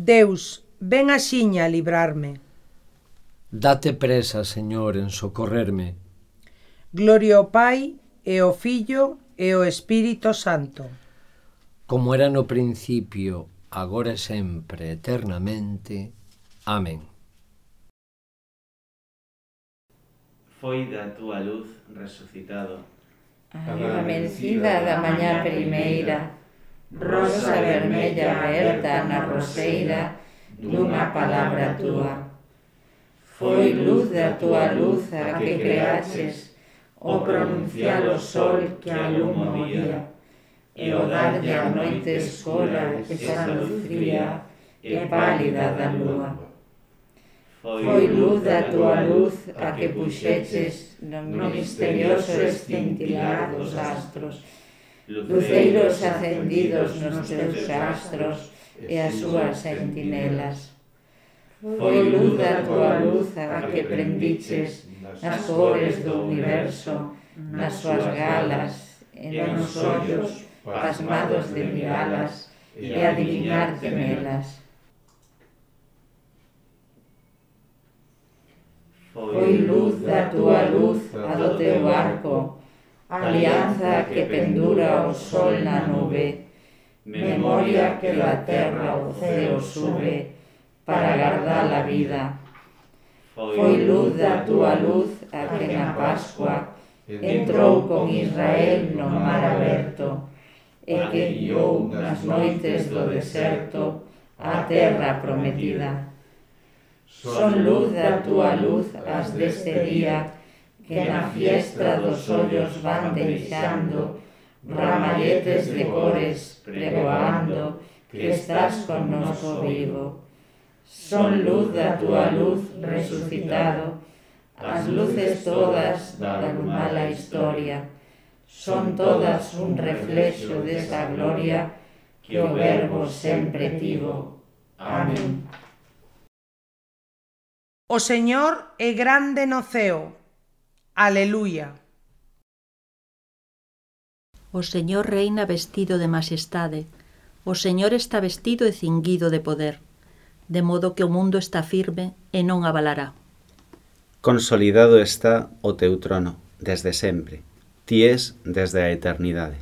Deus, ven axiña a librarme. Date presa, Señor, en socorrerme. Gloria ao Pai, e ao Filho, e ao Espírito Santo. Como era no principio, agora e sempre, eternamente. Amén. Foi da túa luz resucitado a vencida da mañá primeira, rosa vermella aberta na roseira dunha palabra túa. Foi luz da túa luz a que creaches o pronunciar o sol que aluma o día, e o darlle a noite escura esa luz fría e pálida da lúa. Foi luz da túa luz a que puxeches no misterioso escintilar dos astros, luceiros acendidos nos teus astros e as súas sentinelas. Foi luz da túa luz a que prendiches nas cores do universo, nas súas galas, e nos ollos pasmados de miralas e adivinarte nelas. Foi luz da túa luz a do teu arco, alianza que pendura o sol na nube, memoria que da terra ao ceo sube para guardar a vida. Foi luz da túa luz a que na Pascua entrou con Israel no mar aberto e que guiou nas noites do deserto a terra prometida. Son luz da túa luz as deste día que na fiestra dos ollos van deixando ramalletes de cores pregoando que estás connosco vivo. Son luz da túa luz resucitado, as luces todas da mala historia, son todas un reflexo desa gloria que o Verbo sempre tivo. Amén. O Señor é grande no ceo. Aleluia. O Señor reina vestido de majestade. O Señor está vestido e cinguido de poder, de modo que o mundo está firme e non abalará. Consolidado está o teu trono, desde sempre. Ti és desde a eternidade.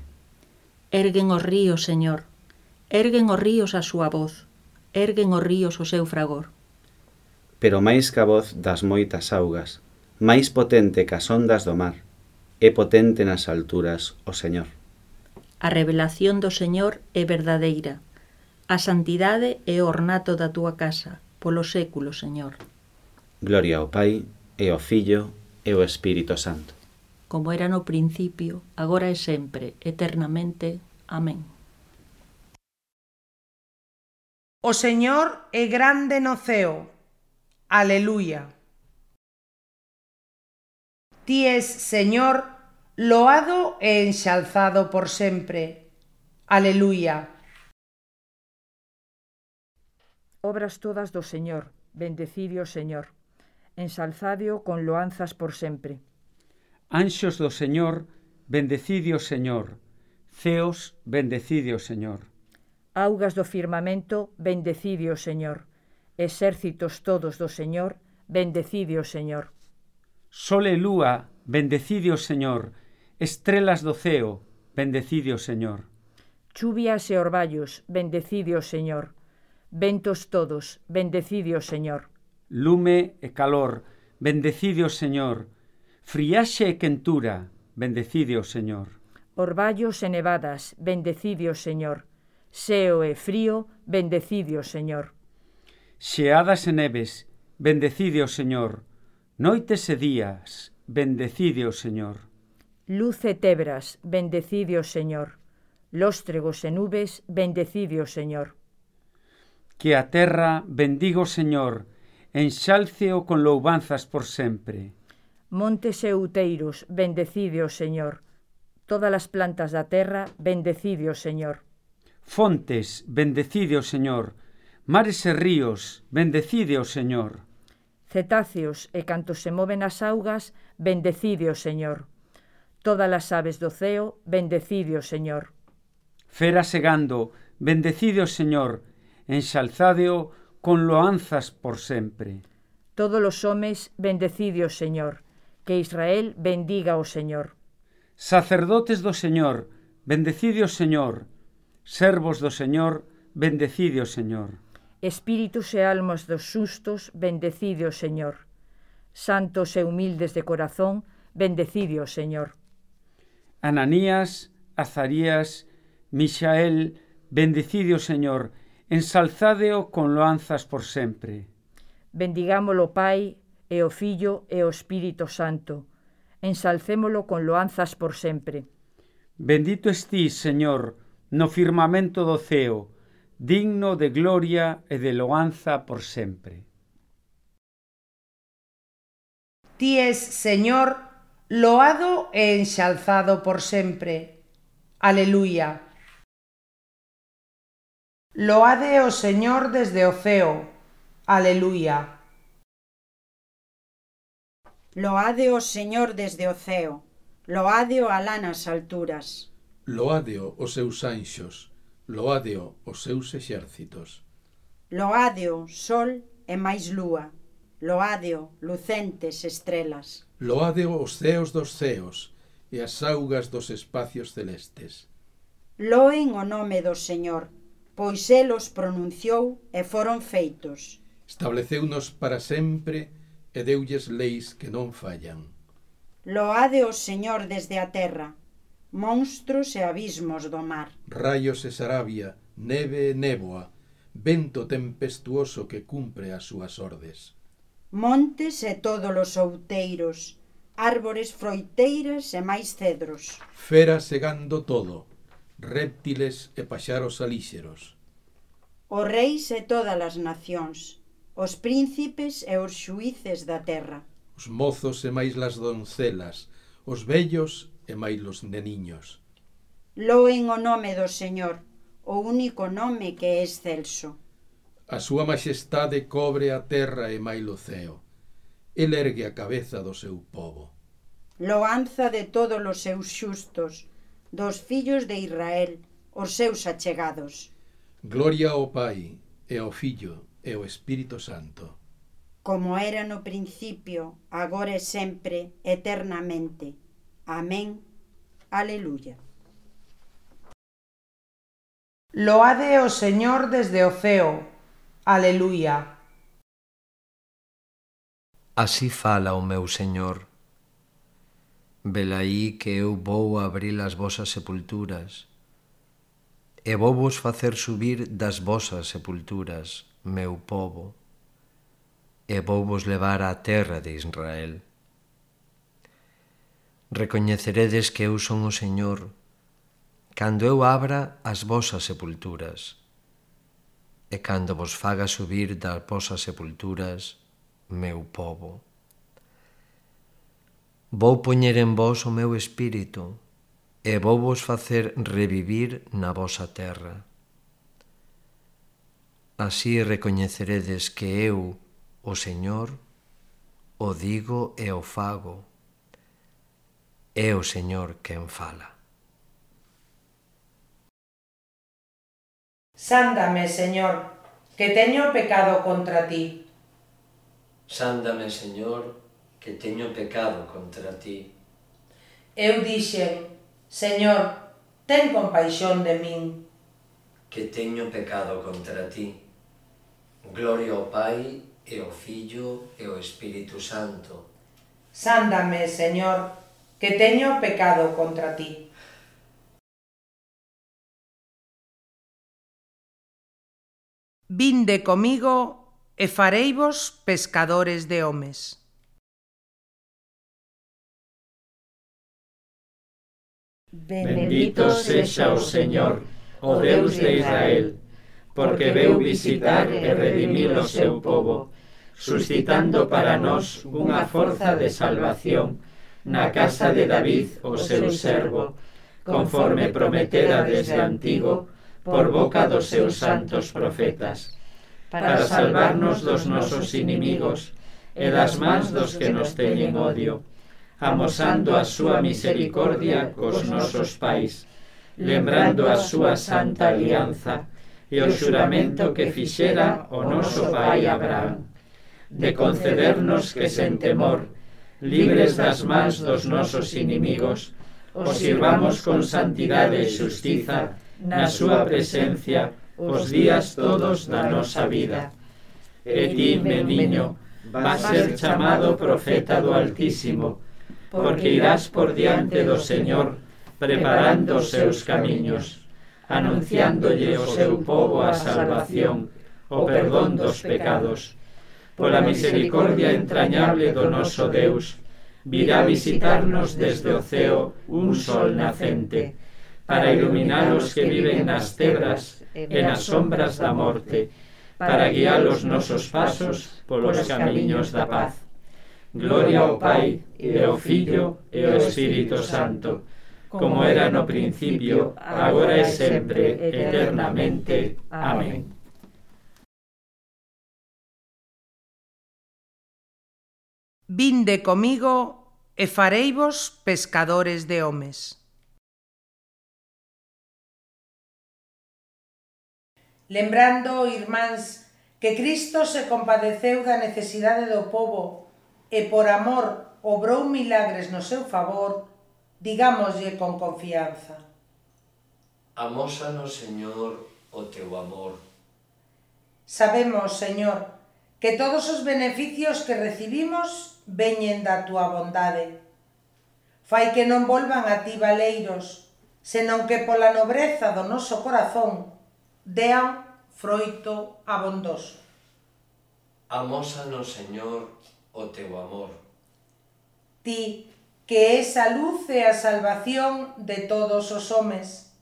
Erguen os ríos, Señor. Erguen os ríos a súa voz. Erguen os ríos o seu fragor. Pero máis que a voz das moitas augas, máis potente que as ondas do mar, é potente nas alturas o Señor. A revelación do Señor é verdadeira. A santidade é o ornato da túa casa, polo século, Señor. Gloria ao Pai, e ao Filho, e ao Espírito Santo. Como era no principio, agora e sempre, eternamente. Amén. O Señor é grande no ceo. Aleluia. Ti és, Señor, loado e enxalzado por sempre. Aleluia. Obras todas do Señor, bendecidio o Señor, ensalzadio con loanzas por sempre. Anxos do Señor, bendecidio o Señor, ceos, bendecidio o Señor. Augas do firmamento, bendecidio o Señor, exércitos todos do Señor, bendecidio o Señor. Sol e lúa, bendecidio o Señor, estrelas do ceo, bendecidio o Señor. Chuvias e orballos, bendecidio o Señor. Ventos todos, bendecidio o Señor. Lume e calor, bendecidio o Señor. Friaxe e quentura, bendecidio o Señor. Orballos e nevadas, bendecidio o Señor. Seo e frío, bendecidio o Señor. Xeadas e neves, bendecidio o Señor. Noites e días, bendecidio o Señor. Luz e tebras, bendecidio o Señor. Lóstregos e nubes, bendecidio o Señor. Que a terra bendiga o Señor, enxálceo con louvanzas por sempre. Montes e outeiros, bendecidio o Señor. Todas as plantas da terra, bendecidio o Señor. Fontes, bendecidio o Señor. Mares e ríos, bendecidio o Señor. Cetáceos e cantos se moven as augas, bendecidio o Señor. Todas as aves do ceo, bendecidio o Señor. Feras e gando, bendecidio o Señor. enxalzádeo con loanzas por sempre. Todos os homes, bendecidio Señor, que Israel bendiga o Señor. Sacerdotes do Señor, bendecidio Señor, servos do Señor, bendecidio Señor. Espíritus e almas dos xustos, bendecidio Señor. Santos e humildes de corazón, bendecidio Señor. Ananías, Azarías, Mixael, bendecidio Señor, ensalzádeo con loanzas por sempre. Bendigámolo Pai, e o Fillo, e o Espírito Santo. Ensalcémolo con loanzas por sempre. Bendito estís, Señor, no firmamento do ceo, digno de gloria e de loanza por sempre. Ti es, Señor, loado e enxalzado por sempre. Aleluya. Loade o Señor desde o ceo. Aleluya. Loade o Señor desde o ceo. Loádeo alá nas alturas. Loádeo os seus anxos. Loádeo os seus exércitos. Loádeo sol e máis lúa. Loádeo lucentes estrelas. Loádeo os ceos dos ceos e as augas dos espacios celestes. Loen o nome do Señor, pois el os pronunciou e foron feitos. Estableceunos para sempre e deulles leis que non fallan. Loade o Señor desde a terra, monstros e abismos do mar. Raios e sarabia, neve e néboa, vento tempestuoso que cumpre as súas ordes. Montes e todos os outeiros, árbores froiteiras e máis cedros. Feras segando todo, réptiles e paxaros alíxeros. Os reis e todas as nacións, os príncipes e os xuíces da terra. Os mozos e máis las doncelas, os vellos e máis los neniños. Loen o nome do Señor, o único nome que é excelso. A súa maxestade cobre a terra e máis o ceo. El ergue a cabeza do seu pobo. Loanza de todos os seus xustos, dos fillos de Israel, os seus achegados. Gloria ao Pai, e ao Fillo, e ao Espírito Santo. Como era no principio, agora e sempre, eternamente. Amén. Aleluya. Loade o Señor desde o ceo. Aleluya. Así fala o meu Señor. Velaí que eu vou abrir as vosas sepulturas, e vou vos facer subir das vosas sepulturas, meu povo, e vou vos levar á terra de Israel. Recoñeceredes que eu son o Señor, cando eu abra as vosas sepulturas, e cando vos faga subir das vosas sepulturas, meu povo. Vou poñer en vos o meu espírito, e vou vos facer revivir na vosa terra. Así recoñeceredes que eu, o Señor, o digo e o fago. É o Señor quen fala. Sándame, Señor, que teño pecado contra ti. Sándame, Señor, que teño pecado contra ti. Eu dixen, Señor, ten compaixón de min. Que teño pecado contra ti. Gloria ao Pai, e ao Fillo, e ao Espírito Santo. Sándame, Señor, que teño pecado contra ti. Vinde comigo e fareivos pescadores de homes. Bendito sexa o Señor, o Deus de Israel, porque veu visitar e redimir o seu povo, suscitando para nós unha forza de salvación na casa de David, o seu servo, conforme prometera desde antigo por boca dos seus santos profetas, para salvarnos dos nosos inimigos e das mans dos que nos teñen odio, amosando a súa misericordia cos nosos pais, lembrando a súa santa alianza, e o xuramento que fixera o noso pai Abraham, de concedernos que sen temor, libres das mans dos nosos inimigos, os sirvamos con santidade e xustiza na súa presencia os días todos da nosa vida. E ti, meniño, vas ser chamado profeta do Altísimo, porque irás por diante do Señor, preparando os seus camiños, anunciándolle o seu pobo a salvación, o perdón dos pecados. Pola misericordia entrañable do noso Deus, virá visitarnos desde o ceo un sol nacente, para iluminar os que viven nas tebras e nas sombras da morte, para guiar os nosos pasos polos camiños da paz. Gloria ao Pai, e ao Filho, e ao Espírito Santo, como era no principio, agora e sempre, eternamente. Amén. Vinde comigo e fareivos pescadores de homes. Lembrando, irmáns, que Cristo se compadeceu da necesidade do pobo e por amor obrou milagres no seu favor, digámoslle con confianza: Amósanos, Señor, o teu amor. Sabemos, Señor, que todos os beneficios que recibimos veñen da túa bondade. Fai que non volvan a ti valeiros, senón que pola nobreza do noso corazón dean froito abondoso. Amósanos, Señor, o teu amor. Ti, que és a luz e a salvación de todos os homes,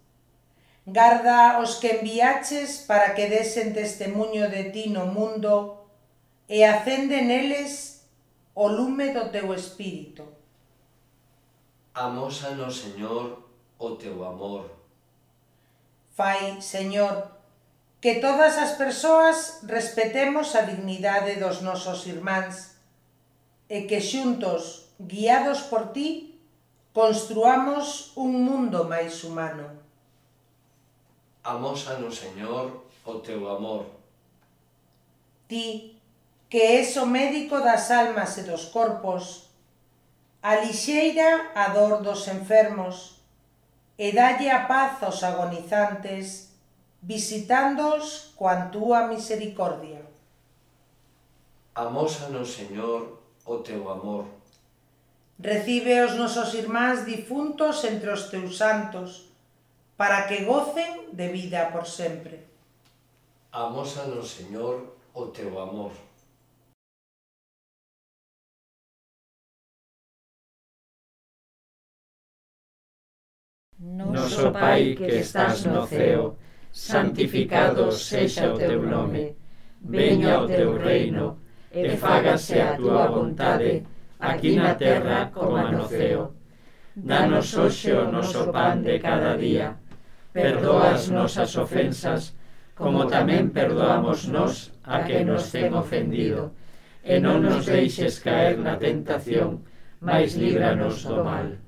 garda os que enviaches para que desen testemuño de ti no mundo e acende neles o lume do teu espírito. Amósanos, Señor, o teu amor. Fai, Señor, que todas as persoas respetemos a dignidade dos nosos irmáns e que xuntos, guiados por ti, construamos un mundo máis humano. Amósanos, Señor, o teu amor. Ti, que és o médico das almas e dos corpos, alixeira a dor dos enfermos e dalle a paz aos agonizantes, visitándoos coa túa misericordia. Amósanos, Señor, o teu amor. Recibe os nosos irmáns difuntos entre os teus santos, para que gocen de vida por sempre. Amósanos, Señor, o teu amor. Noso Pai que estás no ceo, santificado sexa o teu nome. Veña o teu reino, e fágase a túa vontade, aquí na terra como no ceo. Danos hoxe o noso pan de cada día. Perdoa as nosas ofensas, como tamén perdoamos nós a que nos ten ofendido. E non nos deixes caer na tentación, mais líbranos do mal.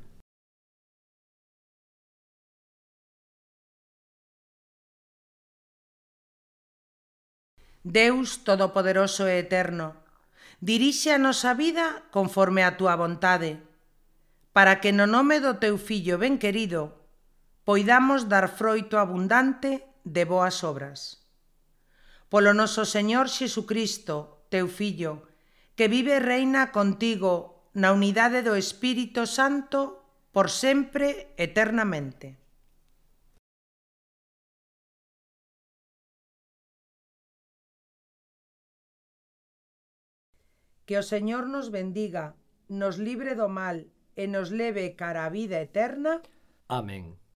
Deus Todopoderoso e Eterno, dirixe a nosa vida conforme a túa vontade, para que no nome do teu Fillo ben querido poidamos dar froito abundante de boas obras. Polo noso Señor Xesucristo, teu Fillo, que vive e reina contigo na unidade do Espírito Santo por sempre eternamente. Que o Señor nos bendiga, nos libre do mal e nos leve cara a vida eterna. Amén.